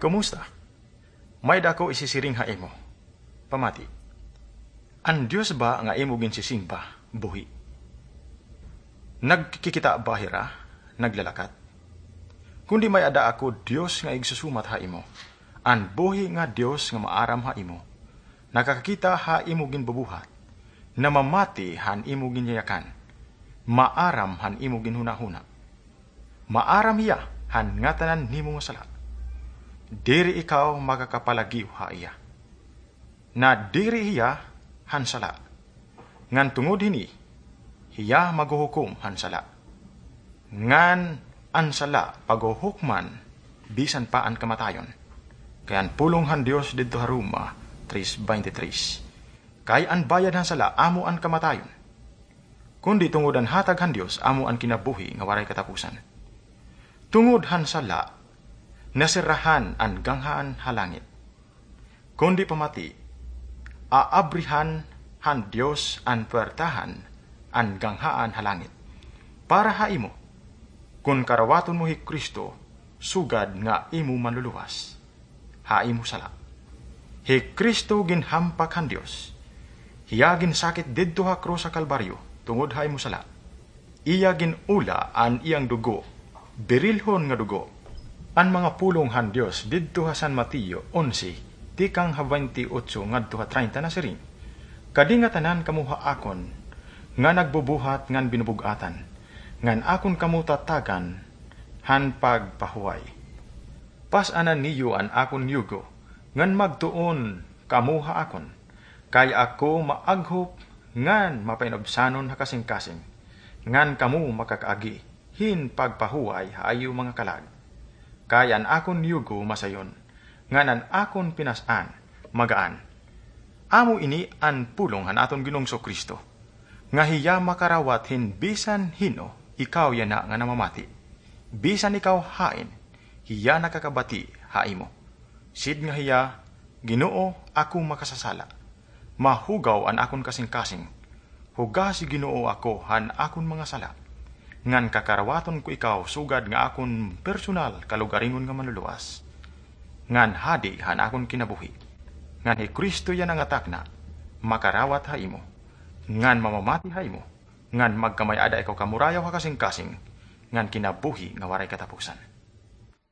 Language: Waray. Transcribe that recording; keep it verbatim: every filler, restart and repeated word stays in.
Kumusta? May-ada ako isisiring ha imo. Pamati. An Dios ba nga imo ginsisimba, buhi? Nagkikita ba hira, naglalakat? Kundi may-ada ako Dios nga igsusumat ha imo, an buhi nga Dios nga maaram ha imo, nakakakita ha imo ginbubuhat, namamati han imo ginyayakan, maaram han imo ginhunahuna. Maaram hiya han ngatanan nimo nga sala. Diri ikaw makakapalagiw ha iya. Nadiri hiya han sala. Ngan tungod hini, hiya maghuhukom han sala. Ngan an sala paghuhukman bisan pa an kamatayon. Kay an pulong han Dios didto ha Roma tres veintitrés. Kay an bayad han sala amo an kamatayon. Kundi tungod an hatag han Dios amo an kinabuhi nga waray katapusan. Tungod han sala, nasirrahan an ganghaan ha langit. Kundi pamati, aabrihan han Dios an puwertahan an ganghaan ha langit. Para ha imo, kon karawaton mo hi Cristo, sugad nga imo manluluwas ha imo sala. Hi Cristo ginhampak han Dios. Hiya ginsakit didto ha krus ha Kalbaryo tungod ha imo sala. Iya gin-ula an iyang dugo, birilhon nga dugo. An mga pulong han Dios didto ha San Mateo onse, tikang ha baynte otso ngadto ha traynta nasiring, "Kadi ngatanan kamo ha akon nga nagbubuhat ngan binubug-atan, ngan akon kamo tatagan han pagpahuway." Pas-anan niyo an akon yugo, ngan magtuon kamo ha akon, kay ako maaghop ngan mapainubsanon ha kasingkasing, ngan kamo makakaagi hin pagpahuway ha iyo mga kalag. Kay an akon yugo masayon, ngan an akon pinas-an magaan. Amo ini an pulong han aton Ginoong Jesu-Cristo, nga hiya makarawat hin bisan hin-o, ikaw yana nga namamati. Bisan ikaw hain, hiya nakakabati ha imo. Sidnga hiya, "Ginoo, ako makasasala. Mahugaw an akon kasingkasing. Hugasi, Ginoo, ako han akon mga sala. Ngan kakarawaton ko ikaw sugad nga akon personal kalugaringon nga manluluwas. Ngan hadi han akon kinabuhi." Ngan hi Cristo yana nga takna, makarawat ha imo, ngan mamamati ha imo, ngan magkamay-ada ikaw kamurayaw ha kasingkasing, ngan kinabuhi nga waray katapusan.